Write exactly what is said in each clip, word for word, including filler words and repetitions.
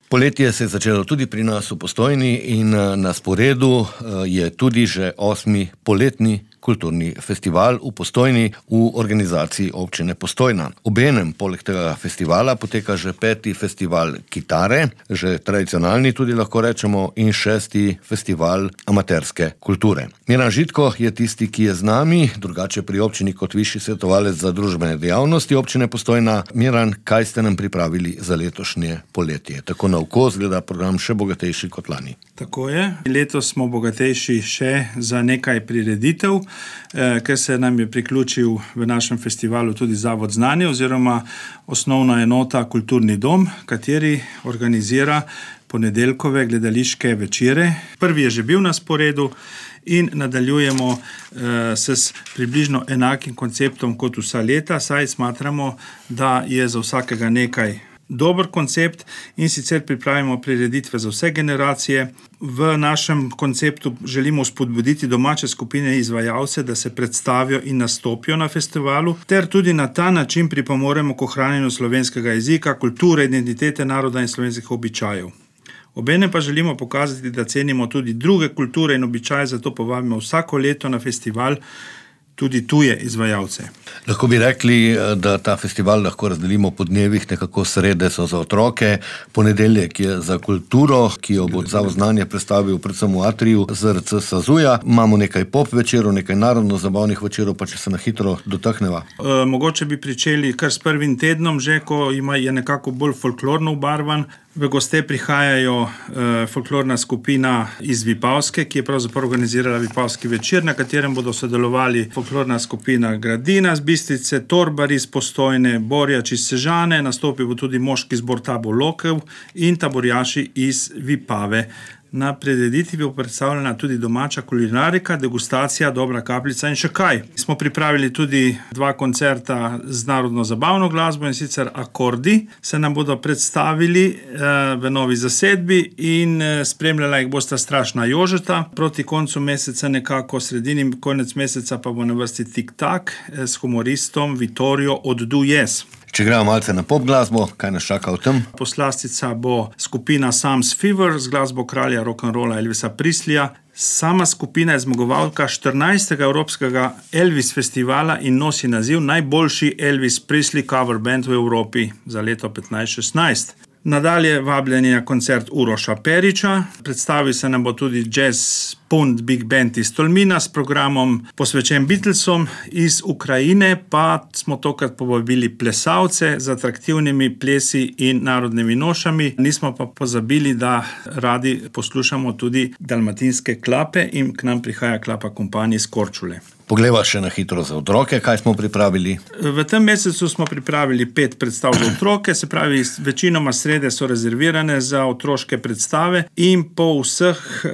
Poletje se je začelo tudi pri nas v Postojni in na sporedu je tudi že osmi poletni kulturni festival v Postojni v organizaciji občine Postojna. Obenem poleg tega festivala poteka že peti festival kitare, že tradicionalni tudi lahko rečemo, in šesti festival amaterske kulture. Miran Žitko je tisti, ki je z nami, drugače pri občini kot višji svetovalec za družbene dejavnosti občine Postojna. Miran, kaj ste nam pripravili za letošnje poletje? Tako na oko zgleda program še bogatejši kot lani. Tako je. Letos smo bogatejši še za nekaj prireditev, ker se nam je priključil v našem festivalu tudi Zavod Znanje oziroma osnovna enota Kulturni dom, kateri organizira ponedeljkove gledališke večere. Prvi je že bil na sporedu in nadaljujemo eh, s približno enakim konceptom kot vsa leta, saj smatramo, da je za vsakega nekaj dober koncept in sicer pripravimo prireditve za vse generacije. V našem konceptu želimo spodbuditi domače skupine izvajalce, da se predstavijo in nastopijo na festivalu, ter tudi na ta način pripomoremo k ohranjanju slovenskega jezika, kulture, identitete naroda in slovenskih običajev. Obenem pa želimo pokazati, da cenimo tudi druge kulture in običaje, zato povabimo vsako leto na festival tudi tuje izvajalce. Lahko bi rekli, da ta festival lahko razdelimo po dnevih, nekako srede so za otroke, ponedeljek je za kulturo, ki jo bo Zavod Znanje predstavil predvsem v atriju Z R C Sazuja. Imamo nekaj pop večerov, nekaj narodno-zabavnih večerov, pa če se na hitro dotakneva. E, mogoče bi pričeli kar s prvim tednom, že ko ima je nekako bolj folklorno obarvan. V goste prihajajo e, folklorna skupina iz Vipavske, ki je pravzaprav organizirala Vipavski večer, na katerem bodo sodelovali folklorna skupina Gradina z Bistrice, Torbari iz Postojne, Borjač iz Sežane, nastopil bo tudi moški zbor Tabor Lokev in taborjaši iz Vipave. Na prireditvi bo predstavljena tudi domača kulinarika, degustacija, dobra kapljica in še kaj. Smo pripravili tudi dva koncerta z narodno-zabavno glasbo, in sicer Akordi se nam bodo predstavili eh, v novi zasedbi in eh, spremljala jih bosta Strašna Jožeta. Proti koncu meseca, nekako sredini konec meseca, pa bo na vrsti Tik-tak eh, s humoristom Vitorijo od Du Yes. Če gremo malce na pop glasbo, kaj nas čaka v tem? Poslastica bo skupina Sam's Fever z glasbo kralja rock'n'rolla Elvisa Presleyja. Sama skupina je zmagovalka štirinajstega Evropskega Elvis festivala in nosi naziv najboljši Elvis Presley cover band v Evropi za leto petnajst šestnajst. Nadalje vabljeni na koncert Uroša Periča, predstavil se nam bo tudi Jazz Punt Big Band iz Tolmina s programom posvečen Beatlesom, iz Ukrajine pa smo tokrat povabili plesalce z atraktivnimi plesi in narodnimi nošami. Nismo pa pozabili, da radi poslušamo tudi dalmatinske klape in k nam prihaja klapa Kompanij iz Korčule. Poglejva še na hitro za otroke, kaj smo pripravili? V tem mesecu smo pripravili pet predstav za otroke, se pravi, večinoma srede so rezervirane za otroške predstave in po vseh eh,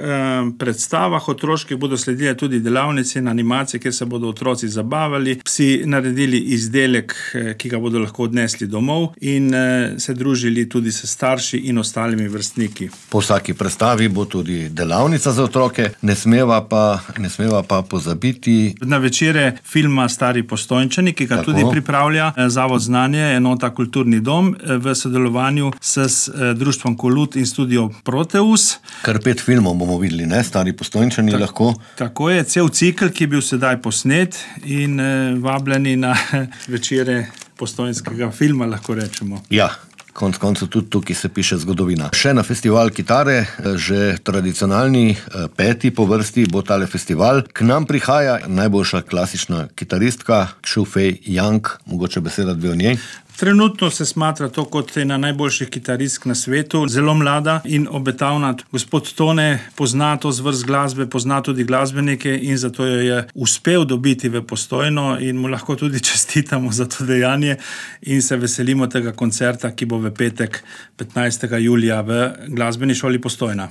predstavah otroških bodo sledile tudi delavnice in animacije, kjer se bodo otroci zabavali, si naredili izdelek, eh, ki ga bodo lahko odnesli domov in eh, se družili tudi s starši in ostalimi vrstniki. Po vsaki predstavi bo tudi delavnica za otroke, ne smeva pa, ne smeva pa pozabiti na večere filma Stari Postojnčani, ki ga Tako. tudi pripravlja Zavod Znanje, enota Kulturni dom v sodelovanju s društvom Kolut in studio Proteus. Kar pet filmov bomo videli, ne? Stari Postojnčani Ta, lahko. Tako je, cel cikl, ki je bil sedaj posnet in vabljeni na večere postojnskega filma, lahko rečemo. Ja. Konc koncev tudi tukaj se piše zgodovina. Še na festival kitare, že tradicionalni peti po vrsti bo tale festival. K nam prihaja najboljša klasična kitaristka Xu Fei Yang, mogoče beseda dve o njej. Trenutno se smatra to kot ena najboljših kitaristk na svetu, zelo mlada in obetavna. Gospod Tone pozna to zvrst glasbe, pozna tudi glasbenike in zato jo je uspel dobiti v Postojno in mu lahko tudi čestitamo za to dejanje in se veselimo tega koncerta, ki bo v petek petnajstega julija v Glasbeni šoli Postojna.